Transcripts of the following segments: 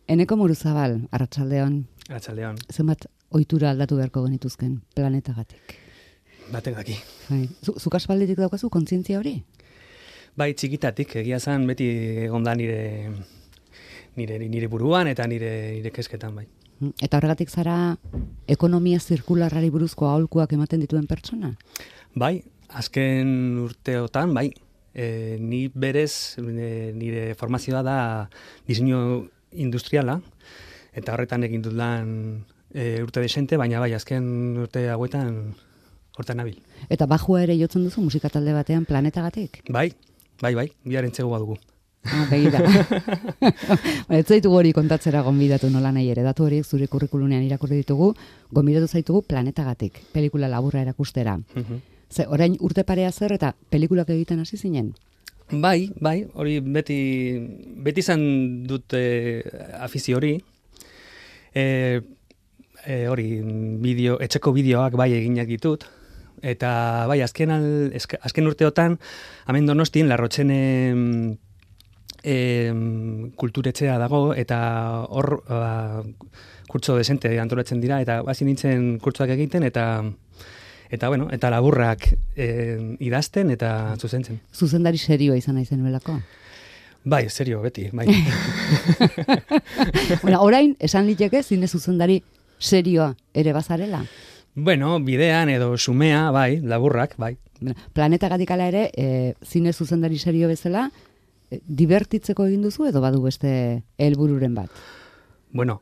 Eneko Muruzabal, arratsaldeon. Arratsaldeon. Zenbat ohitura aldatu beharko genituzken planetagatik? Batek daki. Bai. Zuk aspalditik daukazu kontzientzia hori? Bai, txikitatik, egia zan beti egon da nire buruan eta nire kesketan, bai. Eta horregatik zara ekonomia zirkularrari buruzko aholkuak ematen dituen pertsona? Bai, azken urteotan, bai. Ni berez, nire formazioa da diseinu industriala, eta horretan egin dut lan urte desente, baina bai, azken urte hauetan hortan nabil. Eta bajua ere jotzen duzu musika talde batean planetagatik? Bai, biaren txegu badugu. Begira. Ez zaitugu hori kontatzera gonbidatu nola nahi ere, datu horiek zure kurrikulunean irakurri ditugu, gonbidatu zaitugu planetagatik, pelikula laburra erakustera. Ze, orain urte parea zer eta pelikulak egiten hasi zinen? Bai, hori beti izan dut afizio hori. Hori, etxeko bideoak bai eginak ditut. Eta bai, azken urteotan, hemen Donostin, Larrotxene kulturetxea dago, eta hor kurtso desente antolatzen dira, eta hasi nintzen kurtsoak egiten, eta laburrak idazten eta zuzentzen. Zuzendari serioa izan nahi zenuelako? Bai, serio, beti, bai. Orain, esan liteke zine zuzendari serioa ere bazarela? Bueno, bidean edo sumea, bai, laburrak, bai. Planetagatik ala ere, zine zuzendari serio bezala, divertitzeko egin duzu edo badu beste helbururen bat? Bueno,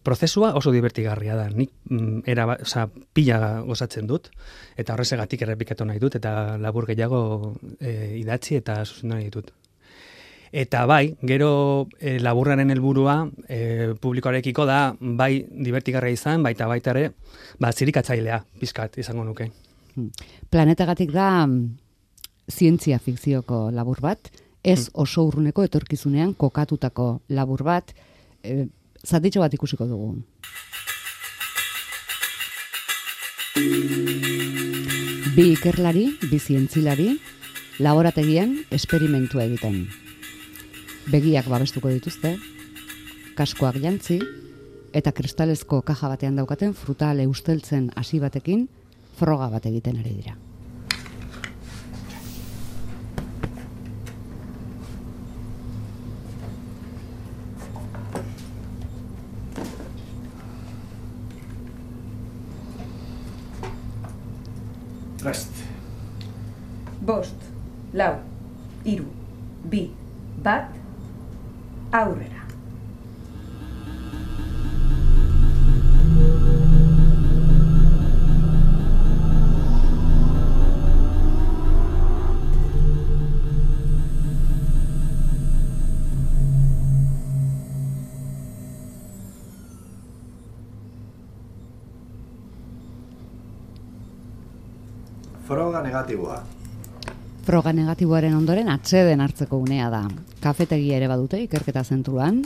prozesua oso divertigarria da. Nik pila gozatzen dut, eta horrezegatik errepikatu nahi dut, eta labur gehiago idatzi eta zuzendu nahi ditut. Eta bai, gero laburraren helburua publikoarekiko da, bai divertigarria izan, baita ere, zirikatzailea, pizkat izango nuke. Planetagatik da zientzia fikzioko labur bat, ez oso urruneko etorkizunean kokatutako labur bat, zatitxo bat ikusiko dugu. Bi ikerlari, bi zientzilari, laborategian esperimentua egiten. Begiak babestuko dituzte, kaskoak jantzi, eta kristalezko kaja batean daukaten frutale usteltzen hasi batekin froga bat egiten ari dira. Prest. 5, 4, 3, 2, 1, aurrera. Froga negatiboa. Froga negatiboaren ondoren atseden hartzeko unea da. Kafetegia ere badute ikerketa zentruan.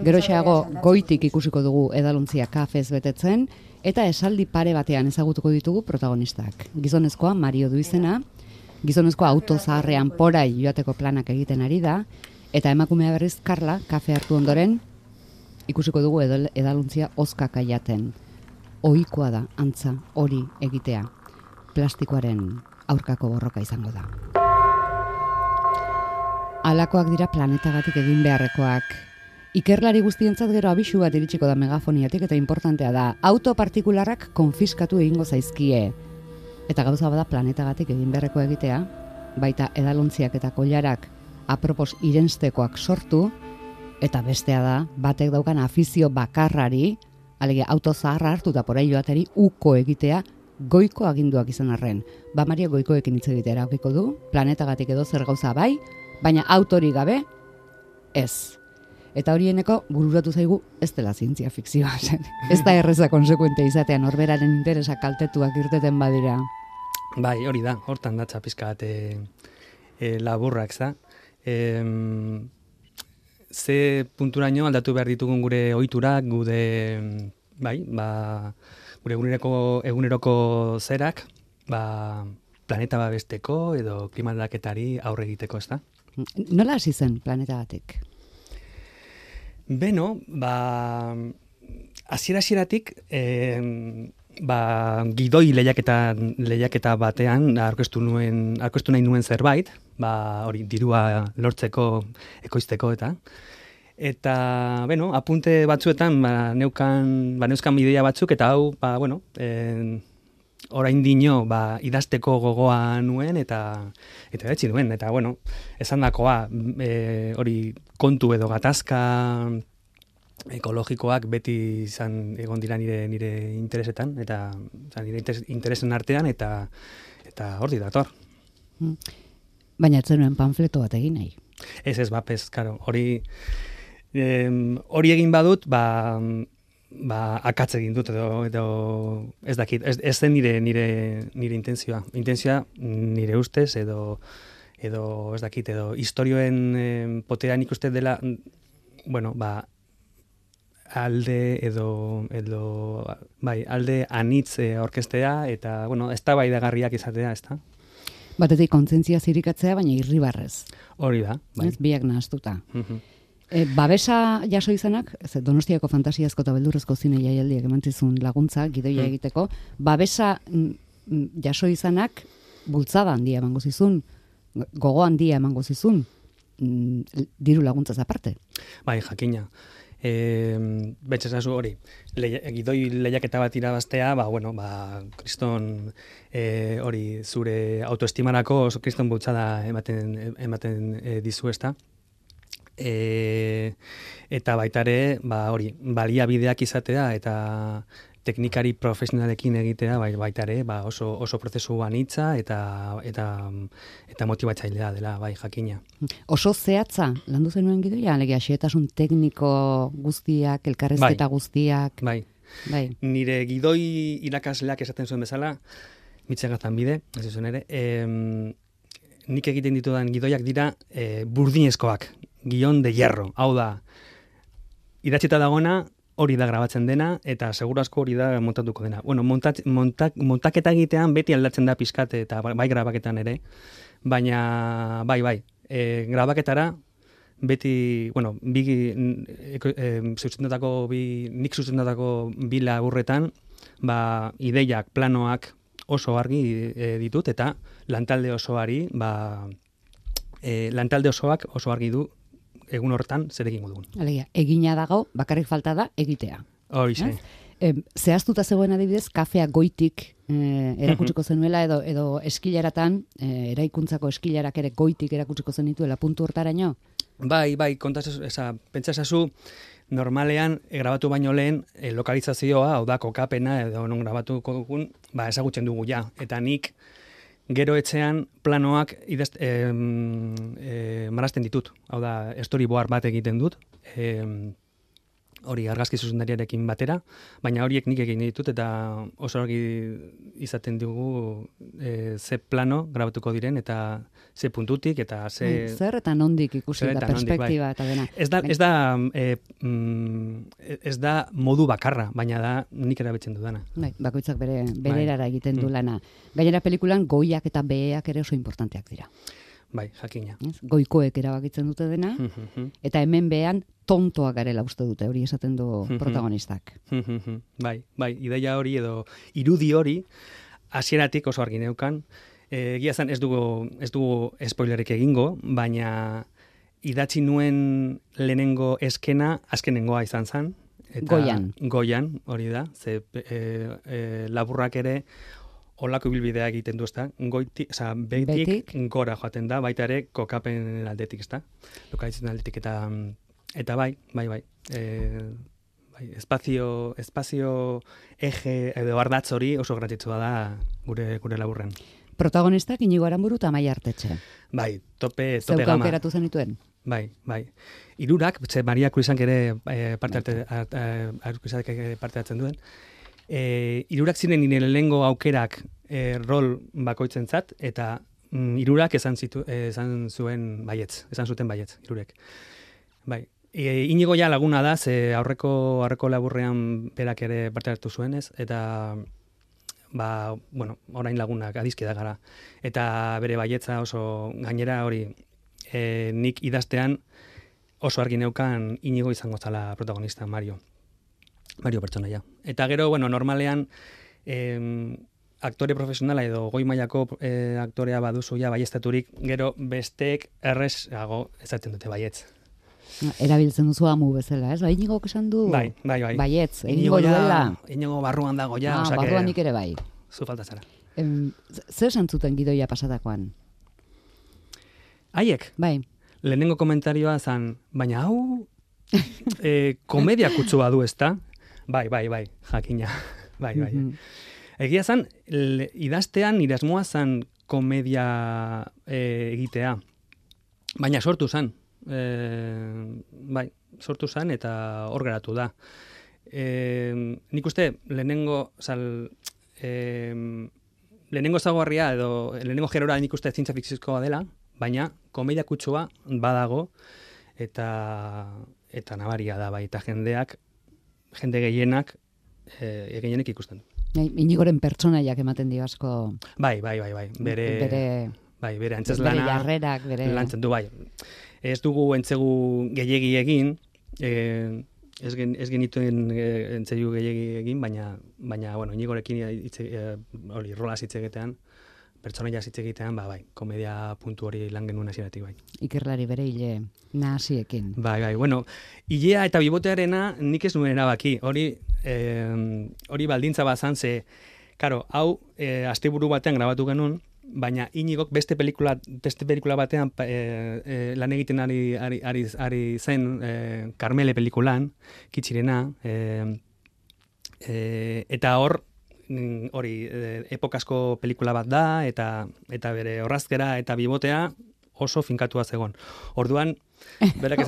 Geroxeago goitik ikusiko dugu edalontzia kafez betetzen, eta esaldi pare batean ezagutuko ditugu protagonistak. Gizonezkoa Mario du izena, gizonezkoa auto zaharrean porai joateko planak egiten ari da, eta emakumea berriz Karla kafe hartu ondoren ikusiko dugu edalontzia ozkaka jaten. Ohikoa da antza hori egitea. Plastikoaren aurkako borroka izango da. Halakoak dira planetagatik egin beharrekoak. Ikerlari guztientzat gero abisu bat iritsiko da megafoniatik eta importantea da. Auto partikularrak konfiskatu egingo zaizkie. Eta gauza bada planetagatik egin beharrekoa egitea, baita edalontziak eta koilarak apropos irenstekoak sortu, eta bestea da, batek daukan afizio bakarrari, alegia auto zaharra hartu eta porai joateri uko egitea, goiko aginduak izan arren. Mario goikoekin hitz egitea erabakiko du, planetagatik edo zer gauza bai, baina autori gabe, ez. Eta horieneko bururatu zaigu ez dela zientzia fikzioa zen. Ez da erreza konsekuente izatean norberaren interesa kaltetuak irteten badira. Bai, hori da, hortan datza pizkat laburrak, za. Ze punturaino aldatu behar ditugun gure ohiturak, gure eguneroko zerak, planeta babesteko edo klima aldaketari aurre egiteko, ez da? Nola hasi zen planetagatik? Beno, hasieratik gidoi lehiaketa batean aurkeztu nahi nuen zerbait, hori dirua lortzeko, ekoizteko eta beno, apunte batzuetan neuzkan ideia batzuk eta hau, orain dino idazteko gogoa nuen eta etzi nuen, eta bueno, esandakoa hori kontu edo gatazka ekologikoak beti egon dira nire interesetan, eta nire interesen artean, eta hori dator. Baina ez zenuen panfleto bat egin nahi. Ez, karo, hori egin badut, akatz egin dut, edo ez dakit, ez zen nire intentzioa. Intentzioa nire ustez, edo ez dakit, edo historioen potean ikuste dela, alde alde anitz orkestea eta, eztabaidagarriak izatea, ezta? Batetik kontzientzia zirikatzea, baina irribarrez. Hori da, bai. Biak nahaztuta. Babesa jaso izanak, Donostiako fantasiazko eta beldurrezko zine jaialdiak emantzizun laguntza, gidoia egiteko, babesa jaso izanak bultzada handia emango zizun, gogo handia emango zizun, diru laguntzaz aparte. Bai, jakina. Betxesazu hori, gidoi lehiaketa bat irabaztea, kriston hori zure autoestimarako oso kriston bultzada ematen dizu, ezta? Eta baitare, hori, baliabideak izatea eta teknikari profesionalekin egitea, baitare, oso prozesu anitza eta motibatzailea dela, jakina. Oso zehatza, landu zenuen gidoia, alegia, xehetasun tekniko guztiak, elkarrezketa guztiak. Bai. Nire gidoi irakasleak esaten zuen bezala, Mitxegazan bide, ez zuen ere, nik egiten ditudan gidoiak dira burdinezkoak, guion de hierro. Hau da, idatzita dagona, hori da grabatzen dena, eta seguru asko hori da montatuko dena. Bueno, montaketa egitean beti aldatzen da pizkat, eta bai grabaketan ere, baina bai, grabaketara beti, nik zuzendutako bi laburretan, ideiak, planoak oso argi ditut, eta lantalde osoak oso argi du egun hortan zer egingo dugun. Alegia, egina dago, bakarrik falta da egitea. Horixe. Zehaztuta zegoen adibidez, kafea goitik erakutsiko zenuela, edo eskilaratan, eraikuntzako eskilarak ere goitik erakutsiko zenituela puntu hortaraino? Bai, pentsasazu, normalean, grabatu baino lehen, lokalizazioa, hau da, kokapena, edo non grabatuko dugun, ezagutzen dugu ja. Eta nik, gero etxean planoak marrazten ditut. Hau da, storyboard bat egiten dut, hori argazki zuzendariarekin batera, baina horiek nik egin ditut, eta oso argi izaten dugu ze plano grabatuko diren, eta ze puntutik, eta ze... Zer eta nondik ikusi da perspektiba eta dena. Ez da modu bakarra, baina da nik erabiltzen dudana. Bakoitzak bere erara egiten du lana. Gainera pelikulan goiak eta beheak ere oso importanteak dira. Bai, jakina. Goikoek erabakitzen dute dena, eta hemen behan tontoak garela uste dute, hori esaten du protagonistak. Bai, ideia hori edo irudi hori, hasieratik oso argi neukan, egia zen ez dugu spoilerik egingo, baina idatzi nuen lehenengo eskena, azkenengoa izan zen. Goian, hori da, ze laburrak ere, olako ibilbidea egiten du, ezta? Betik gora joaten da, baita ere kokapen aldetik, ezta? Lokalitzen aldetik eta bai. Espazio eje edo ardatz hori oso garrantzitsua da gure laburren. Protagonistak Inigo Aranburu eta Amaia Artetxe. Bai, tope gama. Zeuka aukeratu zenituen? Bai. Hirurak, Maria Kruizank ere parte hartzen duen. Hirurak ziren nire lehengo aukerak rol bakoitzentzat, eta hirurak esan zuten baietz, hirurek. Bai. Inigo ja laguna da, ze aurreko laburrean berak ere parte hartu zuenez, eta orain lagunak adizkida gara. Eta bere baietza oso gainera hori nik idaztean oso argi neukan Inigo izango zala protagonista, Mario pertsonaia. Eta gero, bueno, normalean aktore profesionala edo goi mailako aktorea baduzu ja baiestaturik, gero besteek errezago ezaten dute baietz. Erabiltzen duzu amu bezala, ez? Inigo esan du? Bai. Baietz, egingo duela. Inigo barruan dago ja. Barruan nik ere bai. Zu falta zara. Zer esan zuten gidoia pasatakoan? Haiek? Bai. Lehenengo komentarioa zan, baina hau komedia kutsua du, ezta? Bai, jakina. Bai. Egia zan, idaztean nire asmoa zan komedia egitea. Baina sortu zan. Sortu zan eta hor geratu da. Nik uste, lehenengo zagoarria edo lehenengo gerora nik uste zientzia fikzioa dela, baina komedia kutsua badago eta nabaria da, bai, eta jende gehienak gehienek ikusten du. Inigoren pertsonaiak ematen dio asko. Bai. Bere antzeslana. Bere jarrerak, bere lantzen du, bai. Ez dugu entzegu gehiegi egin, ez genituen entzegu gehiegi egin, baina bueno, Inigorekin rolaz hitz egitean, pertsonaia hitz egitean, bai, komedia puntu hori lan genuen hasieratik, bai. Ikerlari bere hile nahasiekin. Bai, bueno, hilea eta bibotearena nik ez nuen erabaki, hori baldintza bazan, ze, karo, hau asteburu batean grabatu genuen, baina Inigok beste pelikula batean lan egiten ari zen Karmele pelikulan, Kitxirena, eta hori epokasko pelikula bat da, eta bere orrazkera eta bibotea oso finkatua zegon. Orduan,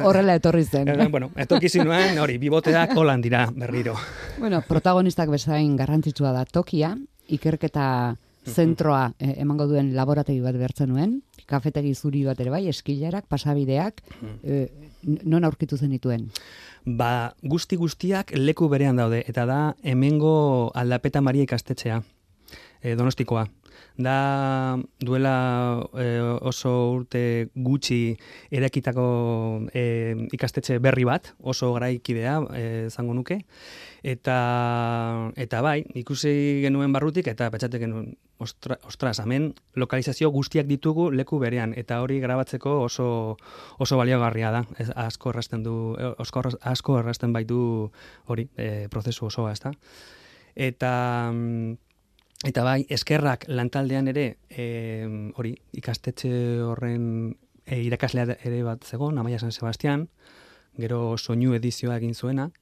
horrela etorri zen. Bueno, etorkizunean, hori, biboteak holan dira berriro. Bueno, protagonistak bezain garrantzitsua da tokia, ikerketa zentroa emango duen laborategi bat behartzen nuen, kafetegi zuri bat ere bai, eskilarak, pasabideak, non aurkitu zenituen? Ba, guztiak leku berean daude, eta da hemengo Aldapeta Maria ikastetxea, Donostikoa. Da duela oso urte gutxi erakitako ikastetxe berri bat, oso garaikidea zango nuke, eta bai, ikusi genuen barrutik eta pentsatu genuen, ostras, hemen lokalizazio guztiak ditugu leku berean, eta hori grabatzeko oso baliagarria da. Asko errazten baitu hori prozesu osoa, ezta? Eta bai, eskerrak lantaldean ere, hori, ikastetxe horren irakaslea ere bat zegoen, Amaia San Sebastian, gero soinu edizioa egin zuenak,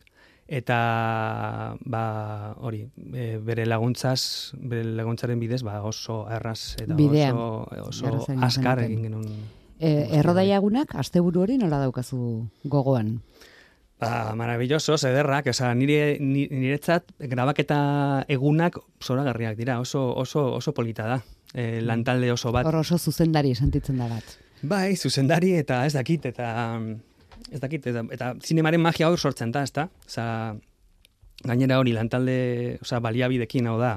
eta hori, bere laguntzaren bidez, oso erraz eta oso askar egin genuen. Errodaiagunak, asteburu hori nola daukazu gogoan? Maravilloso, ederrak, niretzat grabaketa egunak zoragarriak dira, oso polita da, lantalde oso bat. Hor oso zuzendari sentitzen da bat. Bai, zuzendari eta ez dakit, eta zinemaren magia hor sortzen da, ezta? Gainera hori lantalde, baliabidekin hau da,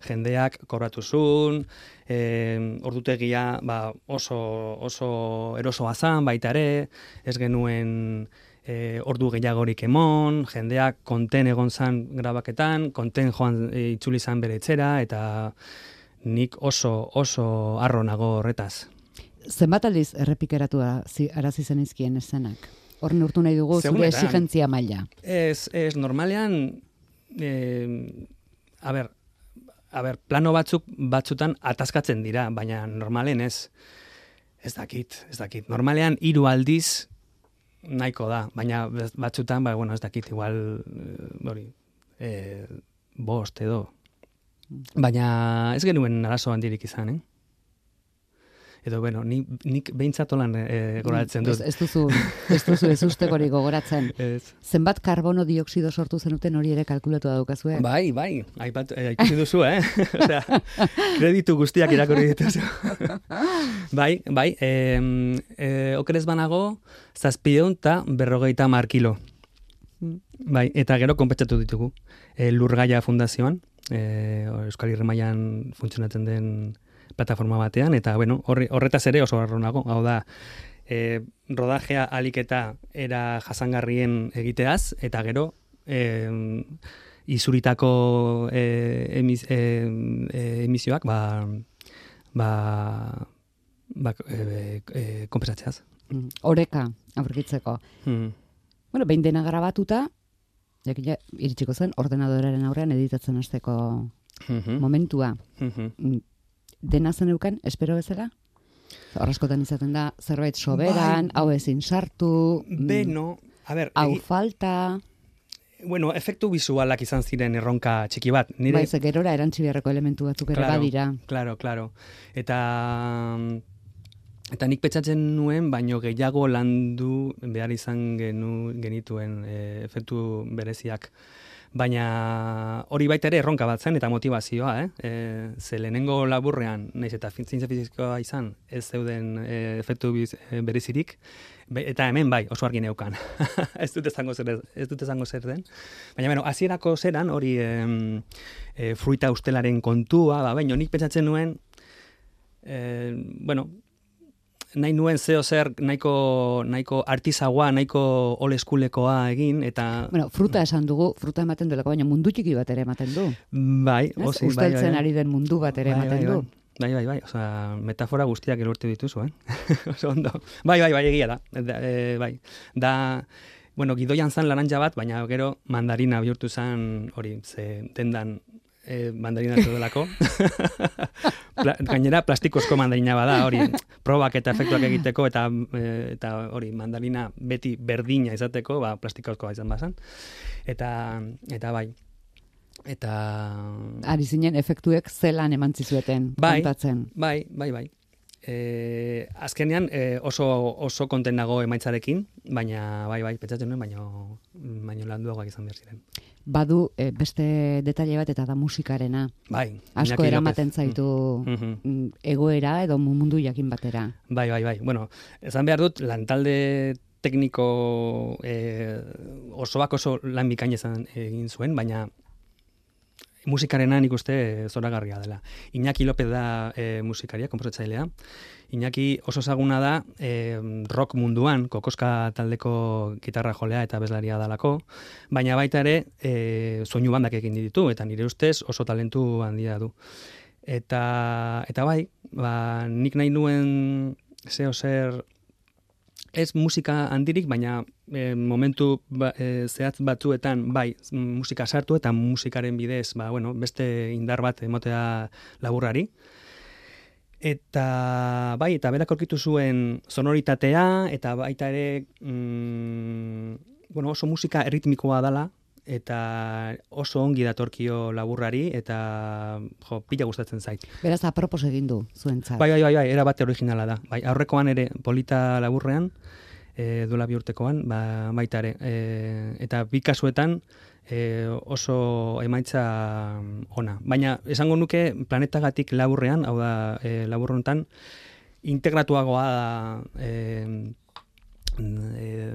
jendeak kobratu zuen, ordutegia oso erosoa zan, baita ere, ez genuen ordu gehiagorik emon, jendeak konten egon zan grabaketan, konten joan itzuli zan bere etxera, eta nik oso harro nago horretaz. Zenbat aldiz errepikeratu arazi zenizkien eszenak? Hor neurtu nahi dugu zure exigentzia maila. Ez, normalean, plano batzutan ataskatzen dira, baina normalen ez dakit. Normalean 3 aldiz nahiko da, baina batzutan, ez dakit, igual, hori, 5 edo. Baina ez genuen arazo handirik izan, Edo, nik behintzat olan goratzen dut. Ez duzu ez ustekorik gogoratzen. Zenbat karbono dioksido sortu zenuten hori ere kalkulatu daukazue? Bai, ikusi duzu, kreditu guztiak irakurri dituzu. Bai, okerez banago, 750 kilo. Bai, eta gero konpentsatu ditugu. Lurgaia Fundazioan, Euskal Herri mailan funtzionatzen den plataforma batean, eta horretaz ere oso harro nago. Hau da, rodajea aliketa era jasangarrien egiteaz, eta gero izuritako emisioak konpensatzeaz. Oreka, aurkitzeko. Bueno, behin dena grabatuta, jakina, iritsiko zen, ordenadoraren aurrean editatzen hasteko momentua. Dena zen euken, espero bezala? Horrezkotan izaten da, zerbait soberan, hau ezin sartu, Beno, a ber, hau falta... Bueno, efektu visualak izan ziren erronka txiki bat. Bai, ze gerora erantzi beharreko elementu batzuk ere badira. Claro. Eta nik petxatzen nuen, baino gehiago landu behar izan genituen efektu bereziak. Baina hori baita ere erronka bat zen eta motivazioa, ze lehenengo laburrean, naiz eta zientzia fizikoa izan, ez zeuden efektu berezirik, eta hemen bai, oso argi neukan. ez dut esango zer den. Baina, bueno, hasierako zeran, hori fruita ustelaren kontua, baina nik pentsatzen nuen, nahi nuen zer nahiko artizagoa, nahiko old schoolekoa egin, eta... Bueno, fruta esan dugu, fruta ematen duelako, baina mundu txiki bat ere ematen du. Bai, osi, usteltzen ari den mundu bat ere ematen du. Bai, osea, metafora guztiak elurtu dituzu, Oso ondo. Bai, egia da. Bai, da, bueno, gidoian zan laranja bat, baina gero mandarina bihurtu zan, hori, ze dendan mandarina zelako. Gainera plastikozko mandarina bada, hori, probak eta efektuak egiteko, eta hori, mandarina beti berdina izateko, plastikozkoa izan bazan. Eta bai, eta... Ari zinen efektuek zelan emantzizueten kontatzen. Bai. Azkenean oso konten nago emaitzarekin, baina bai, pentsatzen nuen, baina landuagoak izan behar ziren. Badu beste detaile bat eta da musikarena. Bai. Asko eramaten zaitu egoera edo mundu jakin batera. Bai. Bueno, esan behar dut, lantalde tekniko osoak oso lan bikain egin zuen, baina musikarena nik uste zoragarria dela. Iñaki López da musikaria, konposatzailea. Iñaki oso ezaguna da rock munduan, Kokoska taldeko gitarra jolea eta abeslaria dalako, baina baita ere soinu bandak egin ditu, eta nire ustez oso talentu handia du. Eta bai, nik nahi nuen zer ez musika handirik, baina momentu zehatz batzuetan bai musika sartu eta musikaren bidez beste indar bat emotea laburrari. Eta bai, eta berak aurkitu zuen sonoritatea, eta baita ere oso musika erritmikoa dela, eta oso ongi datorkio laburrari, eta pila gustatzen zait. Beraz, apropos egin du zuentzat. Bai, era bate originala da. Bai, aurrekoan ere polita laburrean, duela bi urtekoan, baita ere. Eta bi kasuetan oso emaitza ona. Baina, esango nuke planetagatik laburrean, hau da laburrontan, integratuagoa da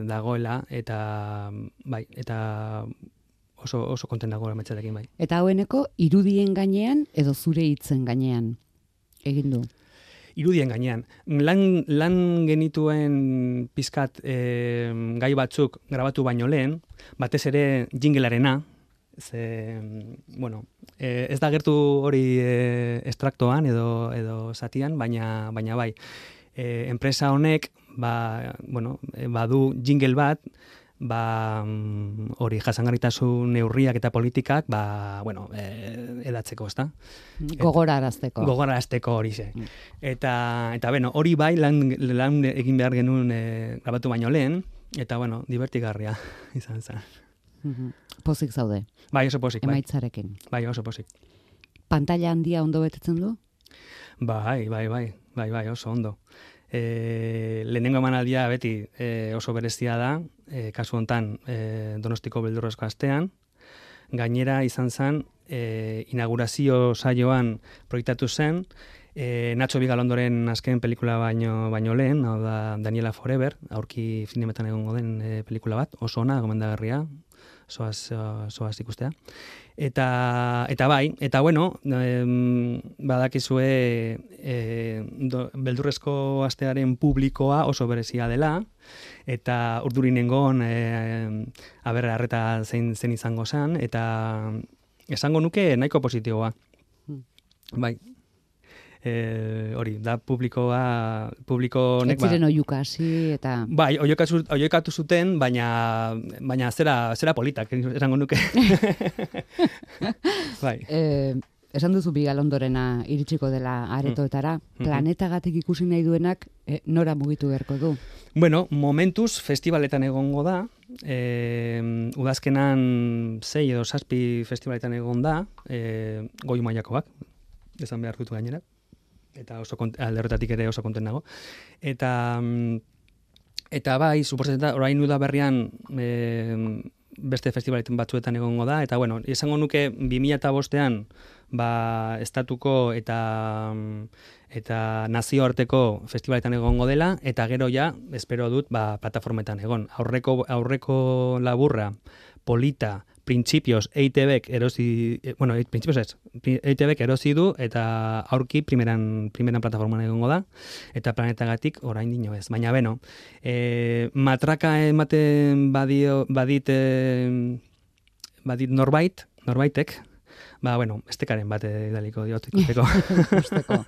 dagoela, eta bai, eta oso konten dago emaitzarekin bai. Eta haueneko irudien gainean edo zure hitzen gainean egin du? Irudien gainean. Lan genituen pizkat gai batzuk grabatu baino lehen, batez ere jinglearena, ez da gertu hori estraktoan edo zatian, baina bai. Enpresa honek badu jingle bat, hori jasangarritasun neurriak eta politikak edatzeko, ezta? Gogorarazteko hori ze. Eta hori bai lan egin behar genuen grabatu baino lehen, eta divertigarria izan zen. Pozik zaude. Bai, oso pozik. Emaitzarekin. Bai, oso pozik. Pantalla handia ondo betetzen du? Bai, oso ondo. Lehenengo emanaldia beti oso berezia da, kasu hontan Donostiko beldurrezko astean. Gainera izan zen, inaugurazio saioan proiektatu zen, Nacho Vigalondoren azken pelikula baino lehen, hau da Daniela Forever, aurki zinemetan egongo den pelikula bat, oso ona, gomendagarria, zoaz ikustea. Eta bai, eta bueno, badakizue beldurrezko astearen publikoa oso berezia dela, eta urdurinengon arreta zein izango zen, eta esango nuke nahiko positiboa. Bai. Hori, da publiko honek... Ez ziren oiuka hasi eta... Bai, oiukatu zuten, baina zera politak, esango nuke. Bai. Esan duzu Bigal Ondorena iritsiko dela aretoetara, planetagatik ikusi nahi duenak nora mugitu beharko du? Bueno, momentuz festivaletan egongo da, udazkenan 6 edo 7 festivaletan egon da, goi mailakoak, esan behar dut gainera, eta alde horretatik ere oso konten nago. Eta bai, suposatzen da, orain udaberrian beste festivaletan batzuetan egongo da, eta bueno, esango nuke 2005an estatuko eta nazioarteko festivaletan egongo dela, eta gero ja, espero dut, plataformetan egon. Aurreko laburra, polita, Principios EITBek erosi, bueno, Principios ez, EITBek erosi du, eta aurki primeran plataforman egongo da, eta planetagatik orain dino ez. Baina beno, matraka ematen badit norbaitek, bueno, estekaren bat edaliko dioteko. Usteko.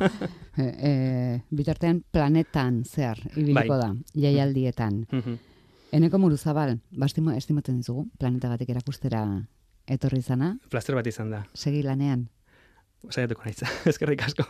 Bitartean planetan zer ibiliko da, jaialdietan. Eneko Muruzabal, estimatzen dizugu, planetagatik erakustera etorri izana. Plazer bat izan da. Segi lanean. Saiatuko naiz, eskerrik asko.